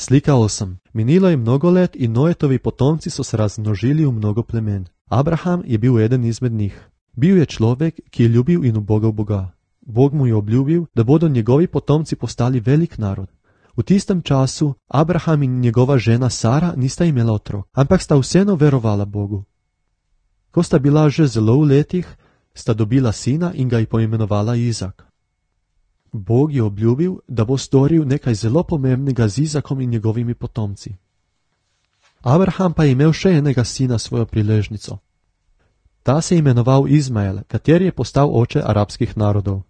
Slika 8. Minilo je mnogo let in Noetovi potomci so se razmnožili v mnogo plemen. Abraham je bil eden izmed njih. Bil je človek, ki je ljubil in ubogal Boga. Bog mu je obljubil, da bodo njegovi potomci postali velik narod. V tistem času Abraham in njegova žena Sara nista imela otrok, ampak sta vseeno verovala Bogu. Ko sta bila že zelo v letih, sta dobila sina in ga je poimenovala Izak. Bog je obljubil, da bo storil nekaj zelo pomembnega z Izakom in njegovimi potomci. Abraham pa je imel še enega sina svojo priležnico. Ta se je imenoval Izmael, kateri je postal oče arabskih narodov.